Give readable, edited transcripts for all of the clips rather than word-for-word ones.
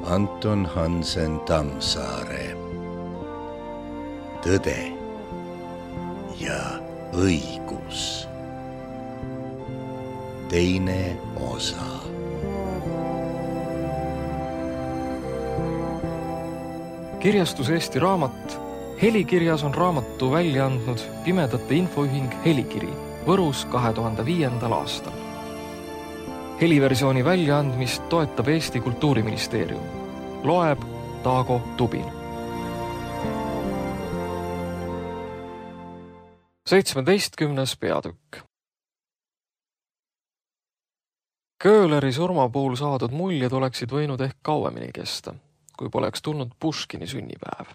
Anton Hansen Tammsaare. Tõde ja õigus. Teine osa. Kirjastus Eesti Raamat. Helikirjas on raamatu välja andnud Pimedate Infoühing Helikiri Võrus 2005. aastal. Heliversiooni väljaandmist toetab Eesti Kultuuriministeerium. Loeb Taago Tubin. 17. peatükk. Köhleri surma puhul saadud muljed oleksid võinud ehk kauemini kesta, kui poleks tulnud Puškini sünnipäev.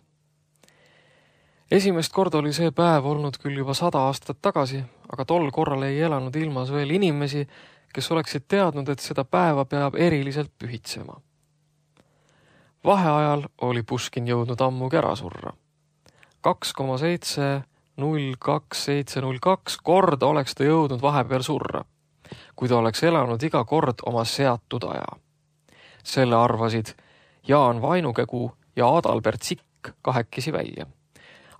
Esimest korda oli see päev olnud küll juba 100 aastat tagasi, aga tol korral ei elanud ilmas veel inimesi, kes oleksid teadnud, et seda päeva peab eriliselt pühitsema. Vaheajal oli Puškin jõudnud ammugi ära surra. 2,702,702 korda oleks ta jõudnud vahepeal surra, kui ta oleks elanud iga kord oma seatud aja. Selle arvasid Jaan Vainukegu ja Adalbert Sikk kahekesi välja.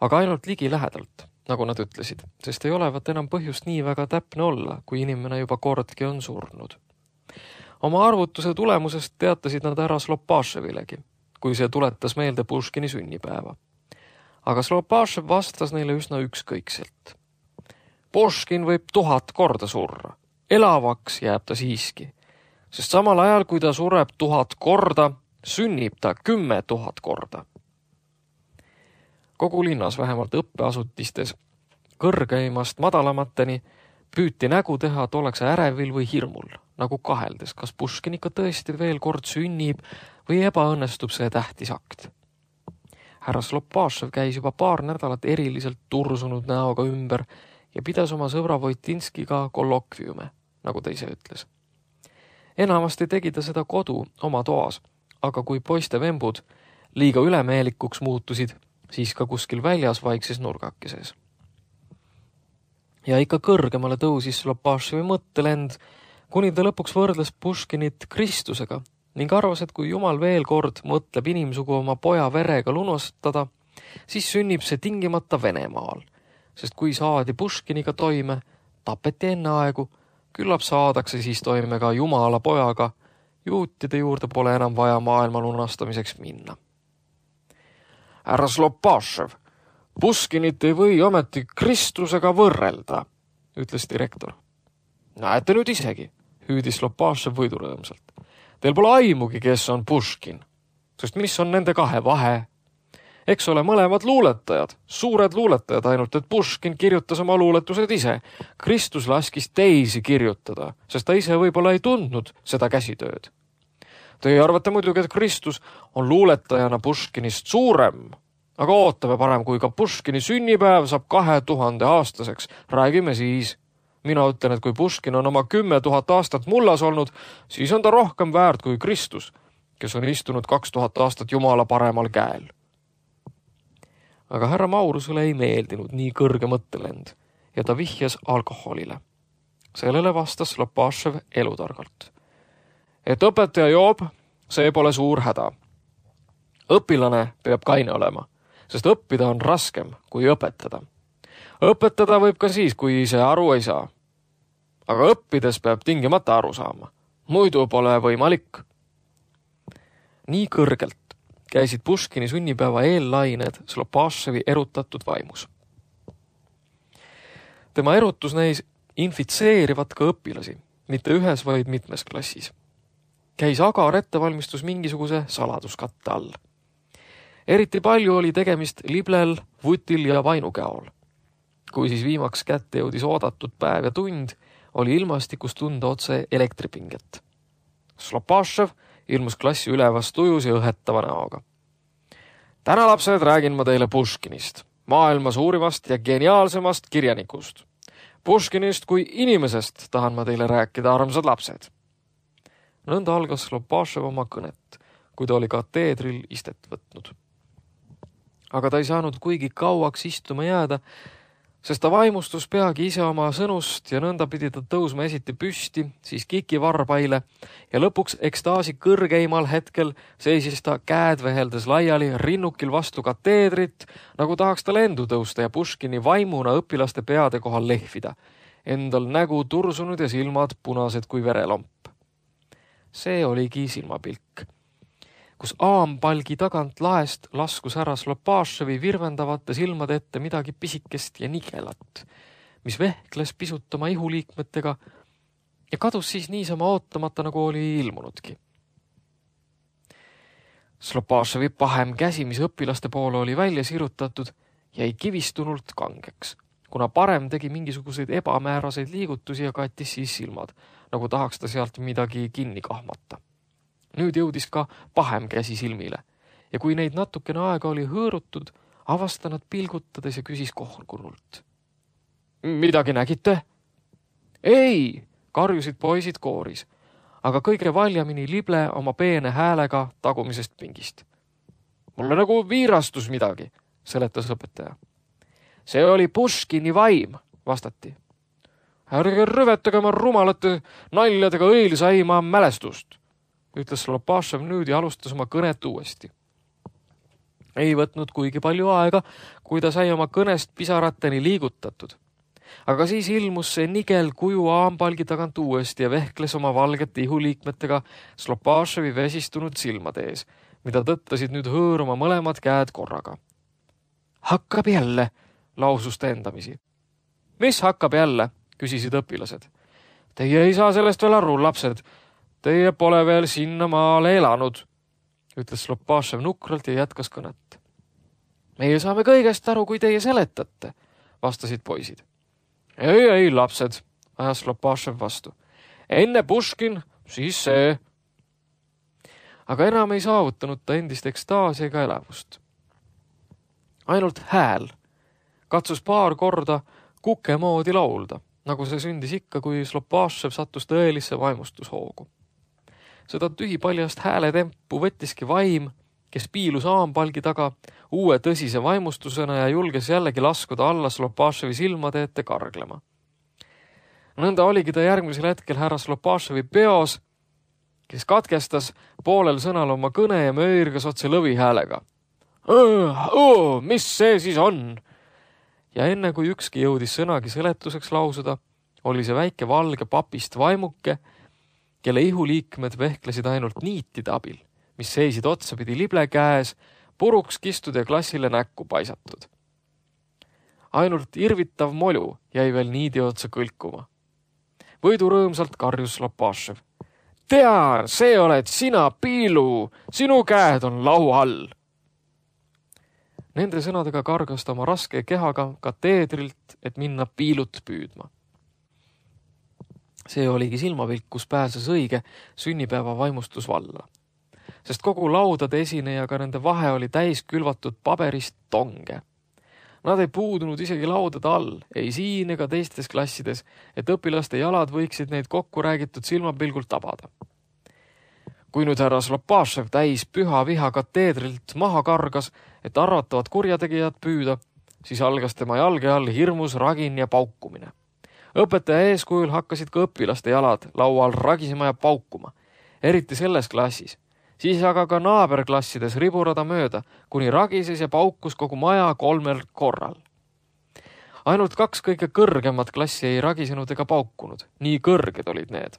Aga ainult ligi lähedalt, nagu nad ütlesid, sest ei olevat enam põhjust nii väga täpne olla, kui inimene juba kordki on surnud. Oma arvutuse tulemusest teatasid nad ära Slopaševilegi, kui see tuletas meelde Puškini sünnipäeva. Aga Slopašev vastas neile üsna ükskõikselt. Puškin võib 1000 korda surra. Elavaks jääb ta siiski, sest samal ajal, kui ta sureb 1000 korda, sünnib ta 10 000 korda. Kogu linnas, vähemalt õppeasutistes, kõrgeimast madalamateni, püüti nägu teha, et oleks ärevil või hirmul, nagu kaheldes, kas Puškin ikka tõesti veel kord sünnib või ebaõnnestub see tähtis akt. Härra Slopašev käis juba paar nädalat eriliselt tursunud näoga ümber ja pidas oma sõbra Vojtinskiga kollokviume, nagu ta ise ütles. Enamasti tegi ta seda kodu oma toas, aga kui poiste vembud liiga ülemeelikuks muutusid, siis ka kuskil väljas vaikses nurgakeses. Ja ikka kõrgemale tõusis Slopaševi mõttelend, kuni ta lõpuks võrdles Puškinit Kristusega ning arvas, et kui Jumal veel kord mõtleb inimsugu oma poja verega lunastada, siis sünnib see tingimata Venemaal, sest kui saadi Puškiniga toime, tapeti enne aegu, küllap saadakse siis toime ka Jumala pojaga, juutide juurde pole enam vaja maailma lunastamiseks minna. Härra Slopašev, Puškinit ei või ometi Kristusega võrrelda, ütles direktor. Näete nüüd isegi, hüüdis Slopašev võidurõõmsalt. Teil pole aimugi, kes on Puškin, sest mis on nende kahe vahe? Eks ole mõlemad luuletajad, suured luuletajad, ainult et Puškin kirjutas oma luuletused ise. Kristus laskis teisi kirjutada, sest ta ise võib-olla ei tundnud seda käsitööd. Teie arvate muidugi, et Kristus on luuletajana Puškinist suurem, aga ootame parem, kui ka Puškini sünnipäev saab 2000 aastaseks. Räägime siis. Mina ütlen, et kui Puškin on oma 10 000 aastat mullas olnud, siis on ta rohkem väärt kui Kristus, kes on istunud 2000 aastat Jumala paremal käel. Aga härra Maurusele ei meeldinud nii kõrge mõttelend ja ta vihjas alkoholile. Sellele vastas Slopašev elutargalt. Et õpetaja joob, see pole suur häda. Õpilane peab kaine olema, sest õppida on raskem kui õpetada. Õpetada võib ka siis, kui ise aru ei saa. Aga õppides peab tingimata aru saama. Muidu pole võimalik. Nii kõrgelt käisid Puškini sünnipäeva eellained Slopaševi erutatud vaimus. Tema erutus neis infitseerivat ka õpilasi, mitte ühes, vaid mitmes klassis. Käis agar ettevalmistus mingisuguse saladuskatte all. Eriti palju oli tegemist Liblel, Vutil ja Vainukäol. Kui siis viimaks kätte jõudis oodatud päev ja tund, oli ilmastikus tunda otse elektripinget. Slopašev ilmus klassi ülevast ujus ja õhetava näoga. Täna, lapsed, räägin ma teile Puškinist, maailma suurimast ja geniaalsemast kirjanikust. Puškinist kui inimesest tahan ma teile rääkida, armsad lapsed. Nõnda algas Slopašev oma kõnet, kui ta oli kateedril istet võtnud. Aga ta ei saanud kuigi kauaks istuma jääda, sest ta vaimustus peagi ise oma sõnust ja nõnda pidi ta tõusma esiti püsti, siis kiki varbaile ja lõpuks ekstaasi kõrgeimal hetkel seisis ta käed veheldes laiali rinnukil vastu kateedrit, nagu tahaks ta lendu tõusta ja Puškini vaimuna õpilaste peade kohal lehvida. Endal nägu tursunud ja silmad punased kui verelomp. See oligi silmapilk, kus aampalgi tagant laest laskus härra Slopaševi virvendavate silmade ette midagi pisikest ja nigelat, mis vehkles pisut oma ihuliikmetega ja kadus siis niisama ootamata, nagu oli ilmunudki. Slopaševi pahem käsi, mis õpilaste poole oli välja sirutatud, jäi kivistunult kangeks, kuna parem tegi mingisuguseid ebamääraseid liigutusi ja kattis siis silmad, nagu tahaks ta sealt midagi kinni kahmata. Nüüd jõudis ka pahem käsi silmile ja kui neid natukene aega oli hõõrutud, avasta nad pilgutades ja küsis kohkurnult. Midagi nägite? Ei, karjusid poisid kooris, aga kõige valjamini lible oma peene häälega tagumisest pingist. Mulle nagu viirastus midagi, seletas õpetaja. See oli Puškini vaim, vastati. Ärge rüvetage oma rumalate naljadega õilsaima mälestust, ütles Slopašev nüüd ja alustas oma kõnet uuesti. Ei võtnud kuigi palju aega, kui ta sai oma kõnest pisarateni liigutatud. Aga siis ilmus see nigel kuju aampalgi tagant uuesti ja vehkles oma valgete ihuliikmetega Slopaševi vesistunud silmade ees, mida tõttasid nüüd hõõruma mõlemad käed korraga. Hakkab jälle, lausus ta endamisi. Mis hakkab jälle? Küsisid õpilased. Teie ei saa sellest veel aru, lapsed. Teie pole veel sinna maale elanud, ütles Slopašev nukralt ja jätkas kõnet. Meie saame kõigest aru, kui teie seletate, vastasid poisid. Ei, lapsed, ajas Slopašev vastu. Enne Puškin, siis see. Aga enam ei saavutanud ta endist ekstaasi ega elavust. Ainult hääl katsus paar korda kuke moodi laulda, nagu see sündis ikka, kui Slopašev sattus tõelisse vaimustushoogu. Seda tühipaljast hääletempu võttiski vaim, kes piilus aampalgi taga uue tõsise vaimustusena ja julges jällegi laskuda alla Slopaševi silmade ette karglema. Nõnda oligi ta järgmisel hetkel härra Slopaševi peos, kes katkestas poolel sõnal oma kõne ja möirgas otse lõvi häälega. Mis see siis on? Ja enne kui ükski jõudis sõnagi seletuseks lausuda, oli see väike valge papist vaimuke, kelle ihuliikmed vehklesid ainult niitide abil, mis seisid otsapidi lible käes, puruks kistud ja klassile näkku paisatud. Ainult irvitav molju jäi veel niidi otsa kõlkuma. Võidurõõmsalt karjus Slopašev. Tean, see oled sina, Piilu, sinu käed on lau all. Nende sõnadega kargas ta oma raske kehaga kateedrilt, et minna Piilut püüdma. See oligi silmapilk, kus pääses õige sünnipäeva vaimustus valla. Sest kogu laudade esinejaga nende vahe oli täis külvatud paberist tonge. Nad ei puudunud isegi laudade all, ei siin ega teistes klassides, et õpilaste jalad võiksid neid kokku räägitud silmapilgult tabada. Kui nüüd härra Slopašev täis püha viha kateedrilt maha kargas, et arvatavad kurjategijad püüda, siis algas tema jalge all hirmus ragin ja paukumine. Õpetaja eeskujul hakkasid ka õpilaste jalad laual ragisema ja paukuma, eriti selles klassis. Siis aga ka naaberklassides riburada mööda, kuni ragises ja paukus kogu maja 3 korral. Ainult 2 kõige kõrgemat klassi ei ragisenud ega paukunud, nii kõrged olid need.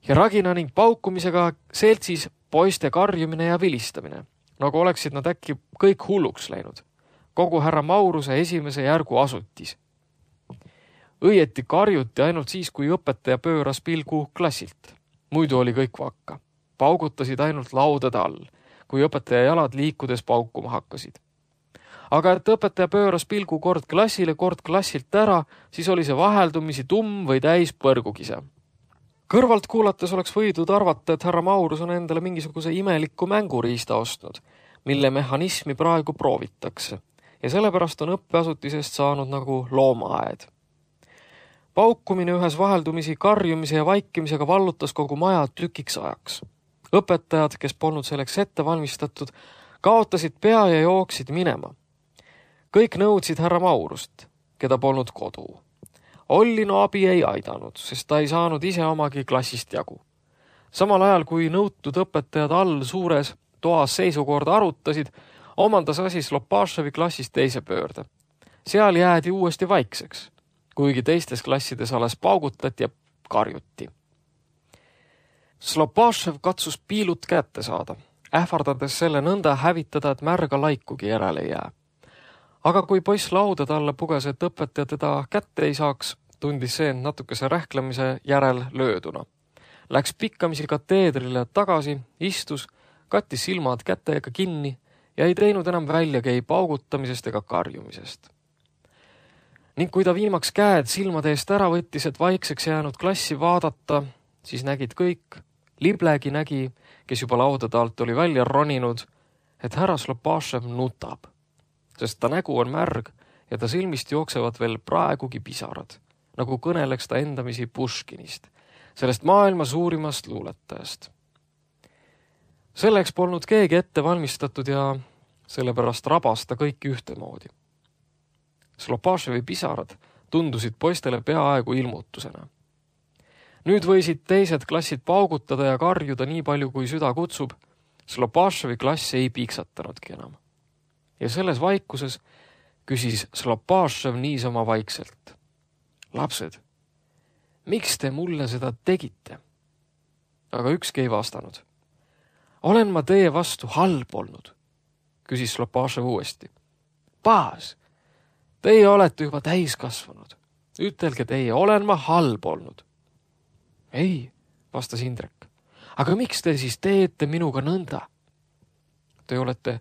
Ja ragina ning paukumisega seltsis poiste karjumine ja vilistamine, nagu oleksid nad äkki kõik hulluks läinud. Kogu härra Mauruse esimese järgu asutis. Õieti karjuti ainult siis, kui õpetaja pööras pilgu klassilt. Muidu oli kõik vakka. Paugutasid ainult laudade all, kui õpetaja jalad liikudes paukuma hakkasid. Aga et õpetaja pööras pilgu kord klassile, kord klassilt ära, siis oli see vaheldumisi tumm või täis põrgukise. Kõrvalt kuulates oleks võidud arvata, et härra Maurus on endale mingisuguse imeliku mänguriista ostnud, mille mehhanismi praegu proovitakse ja sellepärast on õppeasutisest saanud nagu loomaaed. Paukumine ühes vaheldumisi karjumise ja vaikimisega vallutas kogu maja tükiks ajaks. Õpetajad, kes polnud selleks ette valmistatud, kaotasid pea ja jooksid minema. Kõik nõudsid härra Maurust, keda polnud kodu. Ollino abi ei aidanud, sest ta ei saanud ise omagi klassist jagu. Samal ajal, kui nõutud õpetajad all suures toas seisukorda arutasid, omandas asi Slopaševi klassis teise pöörde. Seal jäädi uuesti vaikseks, kuigi teistes klassides alles paugutati ja karjuti. Slopašev katsus piilut kätte saada, ähvardades selle nõnda hävitada, et märga laikugi järele ei jää. Aga kui poiss lauda talle puges, et õpetaja teda kätte ei saaks, tundis see natukese rähklemise järel lööduna. Läks pikkamisi kateedrile tagasi, istus, kattis silmad kätega kinni ja ei teinud enam väljagi ei paugutamisest ega karjumisest. Ning kui ta viimaks käed silmade eest ära võttis, et vaikseks jäänud klassi vaadata, siis nägid kõik, Liblegi nägi, kes juba laudade alt oli välja roninud, et härra Slopašev nutab, sest ta nägu on märg ja ta silmist jooksevad veel praegugi pisarad, nagu kõneleks ta endamisi Puškinist, sellest maailma suurimast luuletajast. Selleks polnud keegi ette valmistatud ja sellepärast rabas ta kõiki ühtemoodi. Slopaševi pisarad tundusid poistele peaaegu ilmutusena. Nüüd võisid teised klassid paugutada ja karjuda nii palju, kui süda kutsub. Slopaševi klass ei piksatanudki enam. Ja selles vaikuses küsis Slopašev niisama vaikselt. Lapsed, miks te mulle seda tegite? Aga ükski ei vastanud. Olen ma teie vastu halb olnud? Küsis Slopašev uuesti. Baas, teie olete juba täiskasvanud. Ütelge teie, olen ma halb olnud? Ei, vastas Indrek. Aga miks te siis teete minuga nõnda? Te olete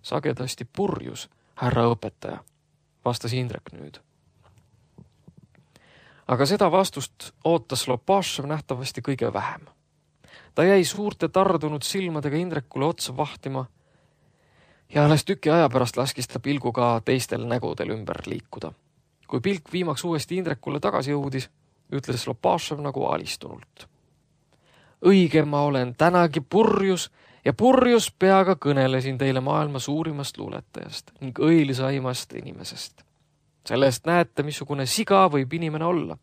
sagedasti purjus, härra õpetaja, vastas Indrek nüüd. Aga seda vastust ootas Slopašev nähtavasti kõige vähem. Ta jäi suurte tardunud silmadega Indrekule otsa vahtima ja alles tüki aja pärast laskis ta pilguga teistel nägudel ümber liikuda. Kui pilk viimaks uuesti Indrekule tagasi jõudis, ütles Slopašev nagu alistunult. Õige ma olen tänagi purjus ja purjus peaga kõnelesin teile maailma suurimast luuletajast ning õilisaimast inimesest. Sellest näete, missugune siga võib inimene olla.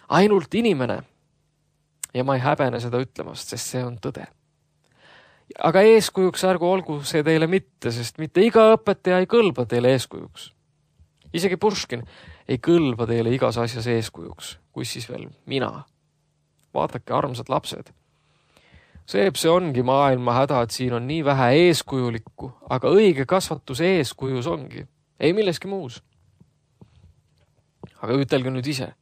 Ainult inimene, ja ma ei häbene seda ütlemast, sest see on tõde. Aga eeskujuks ärgu olgu see teile mitte, sest mitte iga õpetaja ei kõlba teile eeskujuks. Isegi Puškin ei kõlba teile igas asjas eeskujuks, kus siis veel mina. Vaadake, armsad lapsed. See ongi maailma häda, et siin on nii vähe eeskujulikku, aga õige kasvatus eeskujus ongi. Ei milleski muus. Aga ütelge nüüd ise,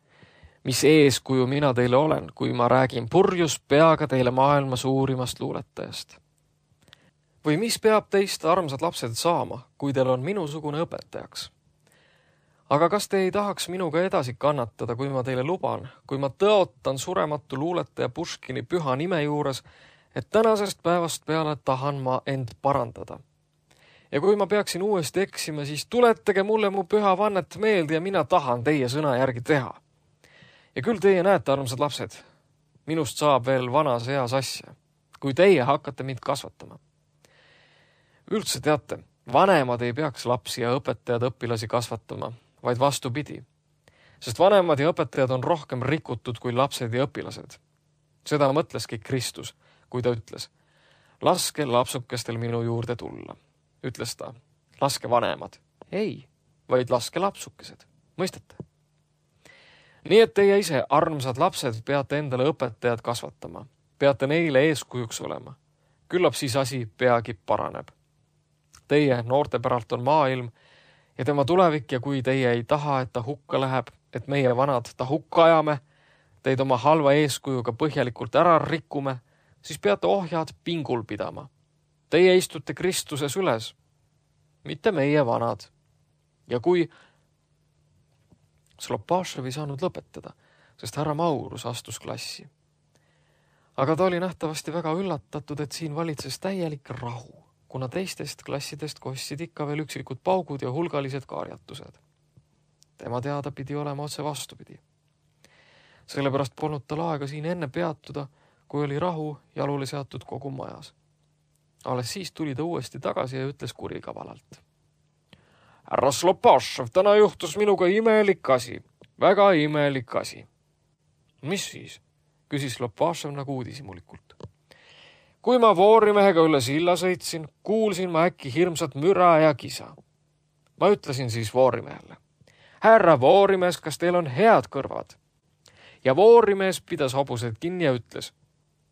mis eeskuju mina teile olen, kui ma räägin purjus peaga teile maailma suurimast luuletajast. Või mis peab teist, armsad lapsed, saama, kui teil on minusugune õpetajaks? Aga kas te ei tahaks minuga edasi kannatada, kui ma teile luban, kui ma tõotan surematu luuletaja Puškini püha nime juures, et tänasest päevast peale tahan ma end parandada. Ja kui ma peaksin uuesti eksima, siis tuletage mulle mu püha vannet meelde ja mina tahan teie sõna järgi teha. Ja küll teie näete, armsad lapsed, minust saab veel vanas eas asja, kui teie hakkate mind kasvatama. Üldse teate, vanemad ei peaks lapsi ja õpetajad õpilasi kasvatama, vaid vastupidi. Sest vanemad ja õpetajad on rohkem rikutud kui lapsed ja õpilased. Seda mõtleski Kristus, kui ta ütles, laske lapsukestel minu juurde tulla. Ütles ta, laske vanemad. Ei, vaid laske lapsukesed. Mõistate? Nii et teie ise, armsad lapsed, peate endale õpetajad kasvatama. Peate neile eeskujuks olema. Küllap siis asi peagi paraneb. Teie noorte päralt on maailm ja tema tulevik ja kui teie ei taha, et ta hukka läheb, et meie vanad ta hukka ajame, teid oma halva eeskujuga põhjalikult ära rikume, siis peate ohjad pingul pidama. Teie istute Kristuses üles, mitte meie vanad. Ja kui Slopašev ei saanud lõpetada, sest härra Maurus astus klassi. Aga ta oli nähtavasti väga üllatatud, et siin valitses täielik rahu, kuna teistest klassidest kostsid ikka veel üksikud paugud ja hulgalised karjatused. Tema teada pidi olema otse vastupidi. Sellepärast polnud tal aega siin enne peatuda, kui oli rahu jalule seatud kogu majas. Alles siis tuli ta uuesti tagasi ja ütles kurikavalalt. härra Slopašev, täna juhtus minuga imelik asi, väga imelik asi. Mis siis? Küsis Slopašev nagu uudishimulikult. Kui ma voorimehega üle silla sõitsin, kuulsin ma äkki hirmsat müra ja kisa. Ma ütlesin siis voorimehele. Härra voorimees, kas teil on head kõrvad? Ja voorimees pidas hobused kinni ja ütles,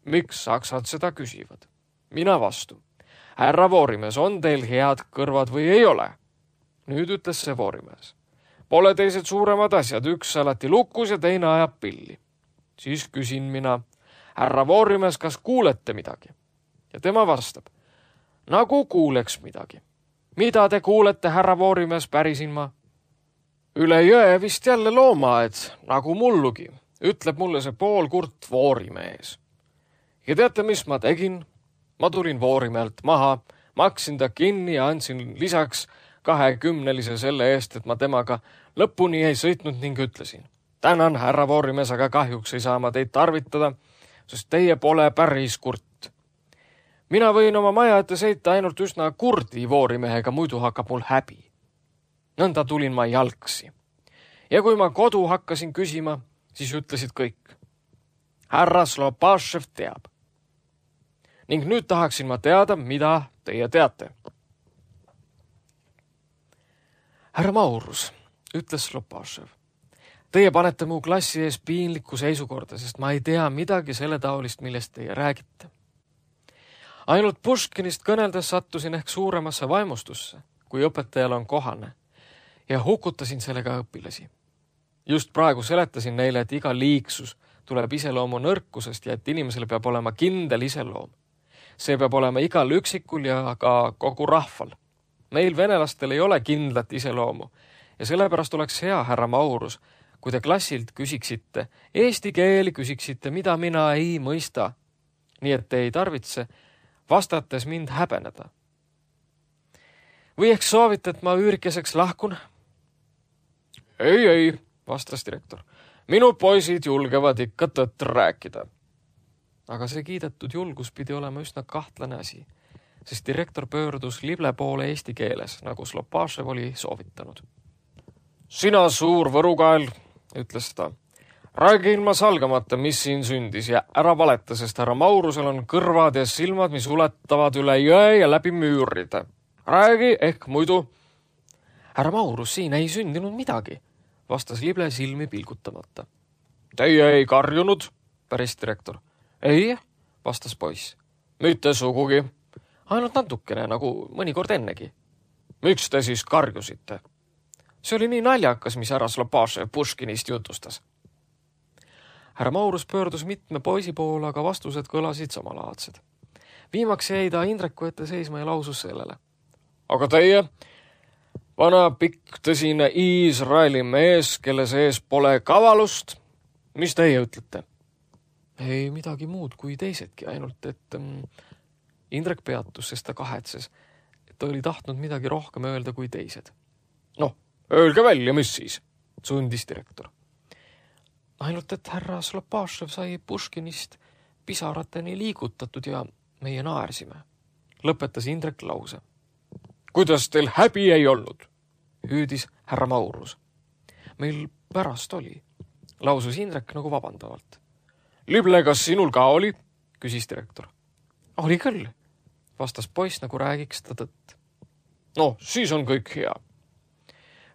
miks saksad seda küsivad? Mina vastu. Härra voorimees, on teil head kõrvad või ei ole? Nüüd ütles see voorimees. Pole teised suuremad asjad, üks alati lukus ja teine ajab pilli. Siis küsin mina, härra voorimees, kas kuulete midagi? Ja tema vastab, nagu kuuleks midagi. Mida te kuulete, härra voorimees, pärisin ma? Üle jõe vist jälle loomaaed, nagu mullugi, ütleb mulle see poolkurt voorimees. Ja teate, mis ma tegin? Ma tulin voorimehelt maha, maksin ta kinni ja andsin lisaks 20 selle eest, et ma temaga lõpuni ei sõitnud ning ütlesin. Tänan, härra voorimees, aga kahjuks ei saa ma teid tarvitada, sest teie pole päris kurt. Mina võin oma maja ette sõita ainult üsna kurdi voorimehega, muidu hakkab mul häbi. Nõnda tulin ma jalgsi. Ja kui ma kodu hakkasin küsima, siis ütlesid kõik. Härra Slopašev teab. Ning nüüd tahaksin ma teada, mida teie teate. Härra Maurus, ütles Slopašev. Teie panete mu klassi ees piinlikku seisukorda, sest ma ei tea midagi selle taolist, millest teie räägite. Ainult Puškinist kõneldes sattusin ehk suuremasse vaimustusse, kui õpetajal on kohane, ja hukutasin sellega õpilasi. Just praegu seletasin neile, et iga liiksus tuleb iseloomu nõrkusest ja et inimesele peab olema kindel iseloom. See peab olema igal üksikul ja ka kogu rahval. Meil venelastel ei ole kindlat iseloomu ja sellepärast oleks hea, härra Maurus, kui te klassilt küsiksite, eesti keeli küsiksite, mida mina ei mõista. Nii et te ei tarvitse vastates mind häbeneda. Või ehk soovite, et ma üürikeseks lahkun? Ei, vastas direktor. Minu poisid julgevad ikka tõtt rääkida. Aga see kiidetud julgus pidi olema üsna kahtlane asi, sest direktor pöördus lible poole eesti keeles, nagu Slopašev oli soovitanud. Sina suur võrukael, ütles ta. Räägi ilma salgamata, mis siin sündis ja ära valeta, sest härra Maurusel on kõrvad ja silmad, mis ulatavad üle jõe ja läbi müüride. Räägi ehk muidu. Härra Maurus, siin ei sündinud midagi, vastas lible silmi pilgutamata. Teie ei karjunud, päris direktor. Ei, vastas poiss. Mitte sugugi. Ainult natukene, nagu mõnikord ennegi. Miks te siis karjusite? See oli nii naljakas, mis härra Slopašev Puškinist jutustas. Härra Maurus pöördus mitme poisi poole, aga vastused kõlasid samalaadsed. Viimaks jäi ta Indreku ette seisma ja lausus sellele. Aga teie, vana pikk tõsine Iisraeli mees, kelle sees pole kavalust, mis teie ütlete? Ei midagi muud kui teisedki, ainult et Indrek peatus, sest ta kahetses, et ta oli tahtnud midagi rohkem öelda kui teised. Noh, öelge välja, mis siis, sundis direktor. Ainult, et härra Slopašev sai Puškinist pisarateni liigutatud ja meie naersime. Lõpetas Indrek lause. Kuidas teil häbi ei olnud? Hüüdis härra Maurus. Meil pärast oli, lausus Indrek nagu vabandavalt. Lible, kas sinul ka oli? Küsis direktor. Oli küll, vastas poiss, nagu räägiks ta tõtt. No, siis on kõik hea,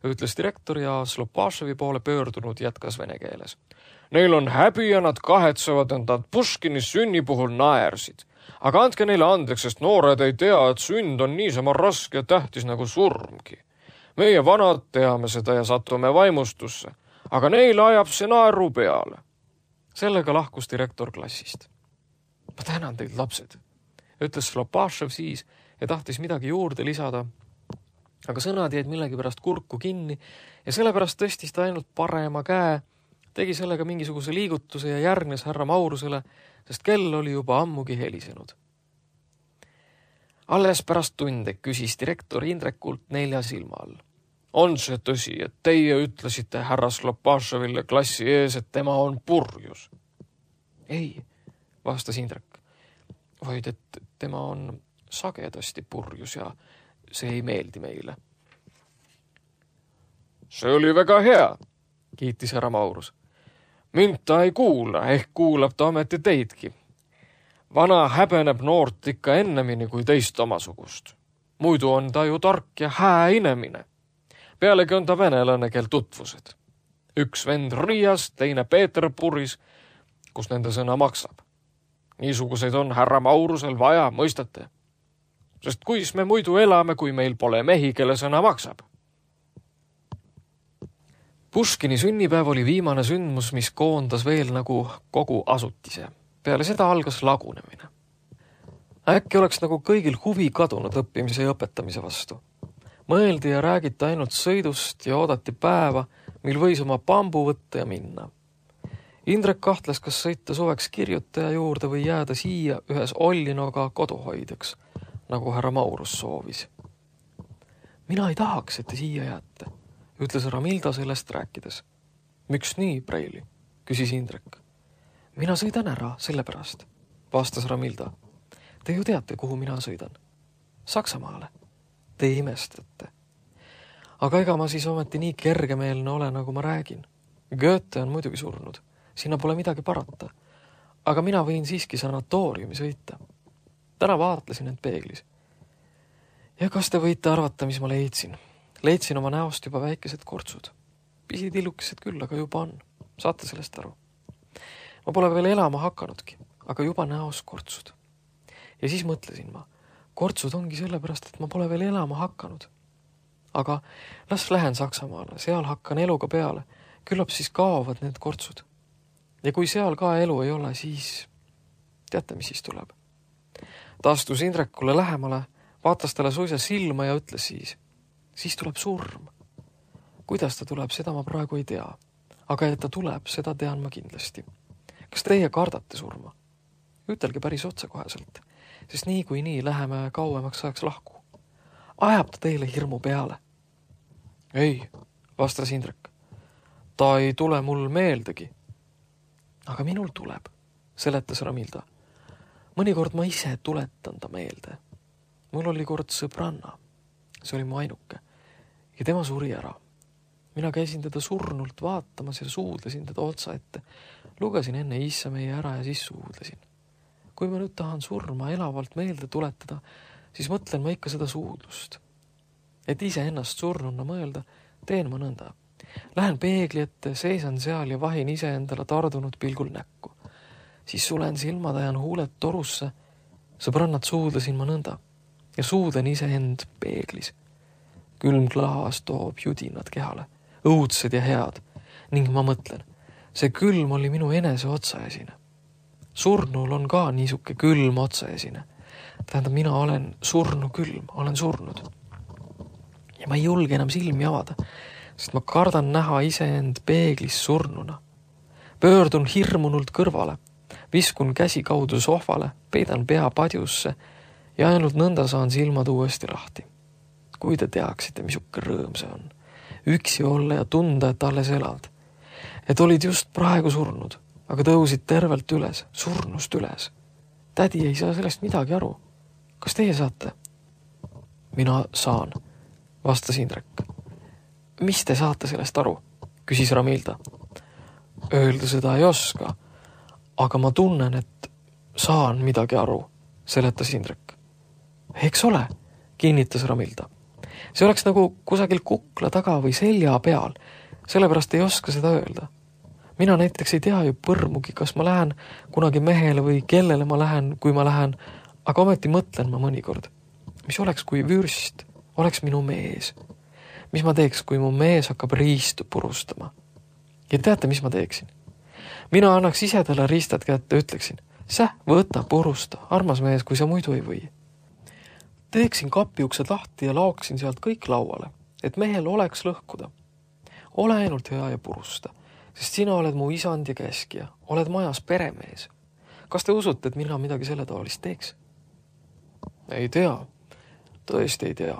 ütles direktor ja Slopaševi poole pöördunud jätkas vene keeles. Neil on häbi ja nad kahetsevad, et nad Puškini sünni puhul naersid. Aga andke neile andeks, sest noored ei tea, et sünd on niisama raske ja tähtis nagu surmgi. Meie vanad teame seda ja satume vaimustusse, aga neile ajab see naeru peale. Sellega lahkus direktor klassist. Ma tänan teid, lapsed, ütles Slopašev siis ja tahtis midagi juurde lisada, aga sõnad jäid millegipärast kurku kinni ja sellepärast tõstis ta ainult parema käe, tegi sellega mingisuguse liigutuse ja järgnes härra Maurusele, sest kell oli juba ammugi helisenud. Alles pärast tunde küsis direktor Indrekult 4 silma all. On see tõsi, et teie ütlesite härra Slopaševile klassi ees, et tema on purjus? Ei, vastas Indrek, vaid et tema on sagedasti purjus ja see ei meeldi meile. See oli väga hea, kiitis härra Maurus. Mind ta ei kuula, ehk kuulab ta ometi teidki. Vana häbeneb noort ikka ennemini kui teist omasugust. Muidu on ta ju tark ja hää inemine. Pealegi on ta venelane, kel tutvused. Üks vend Riias, teine Peeterpuris, kus nende sõna maksab. Niisuguseid on härra Maurusel vaja, mõistate. Sest kuis me muidu elame, kui meil pole mehi, kelle sõna maksab? Puškini sünnipäev oli viimane sündmus, mis koondas veel nagu kogu asutise. Peale seda algas lagunemine. Äkki oleks nagu kõigil huvi kadunud õppimise ja õpetamise vastu. Mõeldi ja räägiti ainult sõidust ja oodati päeva, mil võis oma pambu võtta ja minna. Indrek kahtles, kas sõita suveks kirjutaja juurde või jääda siia ühes Ollinoga koduhoidjaks, nagu härra Maurus soovis. Mina ei tahaks, et te siia jääte, ütles Ramilda sellest rääkides. Miks nii, Preili? Küsis Indrek. Mina sõidan ära, sellepärast, vastas Ramilda. Te ju teate, kuhu mina sõidan. Saksamaale. Te imestate. Aga ega ma siis ometi nii kergemeelne ole, nagu ma räägin. Goethe on muidugi surnud. Sinna pole midagi parata. Aga mina võin siiski sanatooriumi sõita. Täna vaatlesin end peeglis. Ja kas te võite arvata, mis ma leidsin? Leidsin oma näost juba väikesed kortsud. Pisitillukesed küll, aga juba on. Saate sellest aru? Ma pole veel elama hakanudki, aga juba näos kortsud. Ja siis mõtlesin ma, kortsud ongi sellepärast, et ma pole veel elama hakanud. Aga las lähen Saksamaale, seal hakkan eluga peale. Küllap siis kaovad need kortsud. Ja kui seal ka elu ei ole, siis teate, mis siis tuleb. Ta astus Indrekule lähemale, vaatas talle suisa silma ja ütles siis tuleb surm. Kuidas ta tuleb, seda ma praegu ei tea. Aga et ta tuleb, seda tean ma kindlasti. Kas teie kardate surma? Ütelge päris otsekoheselt, sest nii kui nii läheme kauemaks ajaks lahku. Ajab ta teile hirmu peale? Ei, vastas Indrek. Ta ei tule mul meeldegi. Aga minul tuleb, seletas Ramilda. Mõnikord ma ise tuletan ta meelde. Mul oli kord sõbranna. See oli mu ainuke. Ja tema suri ära. Mina käisin teda surnult vaatamas ja suudlesin teda otsa ette. Lugesin enne issa meie ära ja siis suudlesin. Kui ma nüüd tahan surma elavalt meelde tuletada, siis mõtlen ma ikka seda suudlust. Et ise ennast surnuna mõelda, teen ma nõnda. Lähen peegli ette, seisan seal ja vahin ise endale tardunud pilgul näkku. Siis sulen silmad, ajan huuled torusse. Sõbrannad suudlesin ma nõnda ja suudlen ise end peeglis. Külm klaas toob judinad kehale, õudsed ja head, ning ma mõtlen, see külm oli minu enese otsaesine. Surnul on ka niisuke külm otsaesine. Tähendab, mina olen surnu külm, olen surnud. Ja ma ei julge enam silmi avada, sest ma kardan näha iseend peeglis surnuna. Pöördun hirmunult kõrvale, viskun käsi kaudu sohvale, peidan pea padjusse ja ainult nõnda saan silmad uuesti lahti. Kui te teaksite, misuke rõõm see on. Üksi olla ja tunda, et alles elad. Et olid just praegu surnud, aga tõusid tervelt üles, surnust üles. Tädi ei saa sellest midagi aru. Kas teie saate? Mina saan, vastas Indrek. Mis te saate sellest aru? Küsis Ramilda. Öelda seda ei oska, aga ma tunnen, et saan midagi aru, seletas Indrek. Eks ole, kinnitas Ramilda. See oleks nagu kusagil kukla taga või selja peal, sellepärast ei oska seda öelda. Mina näiteks ei tea ju põrmugi, kas ma lähen kunagi mehele või kellele ma lähen, kui ma lähen, aga ometi mõtlen ma mõnikord. Mis oleks, kui vürst oleks minu mees? Mis ma teeks, kui mu mees hakkab riistu purustama? Ja teate, mis ma teeksin? Mina annaks ise talle riistad kätte, ütleksin, võta, purusta, armas mees, kui sa muidu ei või. Teeksin kapiuksed lahti ja laoksin sealt kõik lauale, et mehel oleks lõhkuda. Ole ainult hea ja purusta, sest sina oled mu isand ja käskija, oled majas peremees. Kas te usute, et mina midagi selle taolist teeks? Ei tea, tõesti ei tea,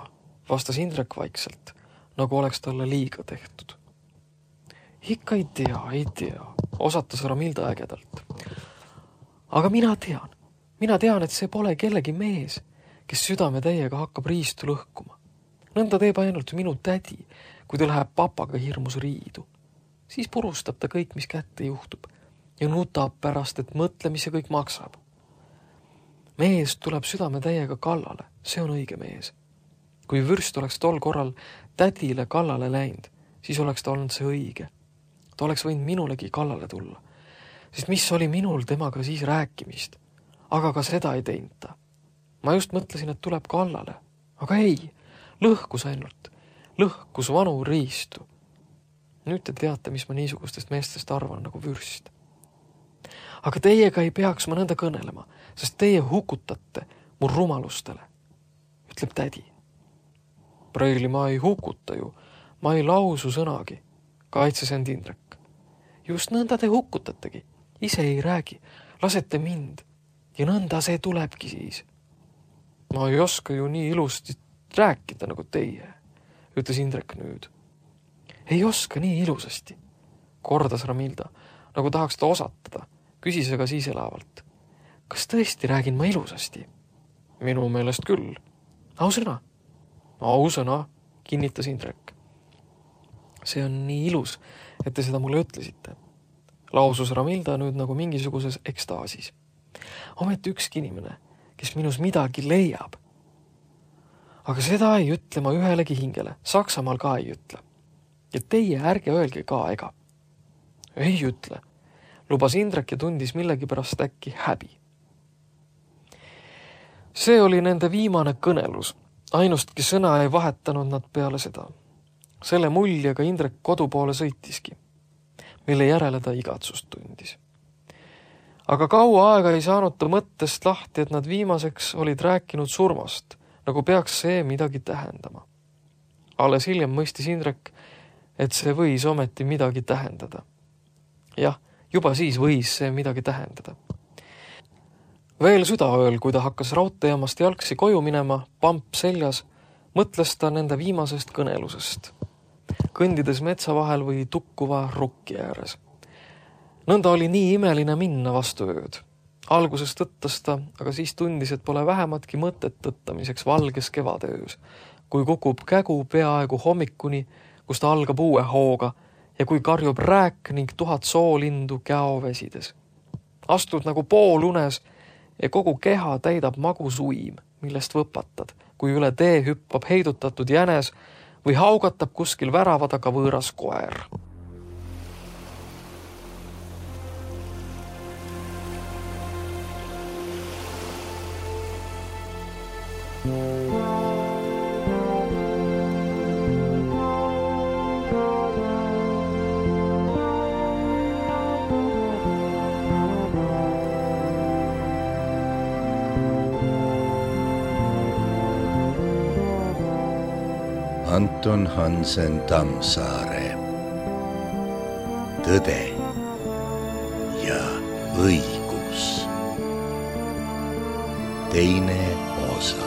vastas Indrek vaikselt, nagu oleks talle liiga tehtud. Ikka ei tea, osatas Ramilda ägedalt. Aga mina tean, et see pole kellegi mees, kes südame täiega hakkab riistu lõhkuma. Nõnda teeb ainult minu tädi, kui ta läheb papaga hirmus riidu. Siis purustab ta kõik, mis kätte juhtub ja nutab pärast, et mõtle, mis see kõik maksab. Mees tuleb südame täiega kallale, see on õige mees. Kui vürst oleks tol korral tädile kallale läinud, siis oleks ta olnud see õige. Ta oleks võinud minulegi kallale tulla, sest mis oli minul temaga siis rääkimist, aga ka seda ei teinud ta. Ma just mõtlesin, et tuleb kallale, aga ei, lõhkus ainult, lõhkus vanu riistu. Nüüd te teate, mis ma niisugustest meestest arvan nagu vürst. Aga teiega ei peaks ma nõnda kõnelema, sest teie hukutate mu rumalustele, ütleb tädi. Preili ma ei hukuta ju, ma ei lausu sõnagi, kaitses end Indrek. Just nõnda te hukutategi, ise ei räägi, lasete mind ja nõnda see tulebki siis. Ma ei oska ju nii ilusti rääkida nagu teie, ütles Indrek nüüd. Ei oska nii ilusasti, kordas Ramilda, nagu tahaks ta osatada, küsis aga siis elavalt. Kas tõesti räägin ma ilusasti? Minu meelest küll. Ausõna? Ausõna, kinnitas Indrek. See on nii ilus, et te seda mulle ütlesite. Lausus Ramilda nüüd nagu mingisuguses ekstaasis. Ometi ükski inimene, kes minus midagi leiab. Aga seda ei ütle ma ühelegi hingele, Saksamaal ka ei ütle. Ja teie ärge öelge ka ega. Ei ütle, lubas Indrek ja tundis millegi pärast äkki häbi. See oli nende viimane kõnelus, ainustki sõna ei vahetanud nad peale seda. Selle muljega Indrek kodu poole sõitiski, mille järele ta igatsust tundis. Aga kaua aega ei saanud ta mõttest lahti, et nad viimaseks olid rääkinud surmast, nagu peaks see midagi tähendama. Alles hiljem mõistis Indrek, et see võis ometi midagi tähendada. Jah, juba siis võis see midagi tähendada. Veel südaööl, kui ta hakkas raudteejaamast jalgsi koju minema, pamp seljas, mõtles ta nende viimasest kõnelusest, kõndides metsa vahel või tukkuva rukki ääres. Nõnda oli nii imeline minna vastu ööd. Alguses tõttas ta, aga siis tundis, et pole vähematki mõtet tõttamiseks valges kevadeöös, kui kukub kägu peaaegu hommikuni, kus ta algab uue hooga ja kui karjub rääk ning 1000 soolindu käovesides. Astud nagu poolunes ja kogu keha täidab magus uim, millest võpatad, kui üle tee hüppab heidutatud jänes või haugatab kuskil värava taga võõras koer. Anton Hansen Tammsaare. Tõde ja õigus. Teine osa.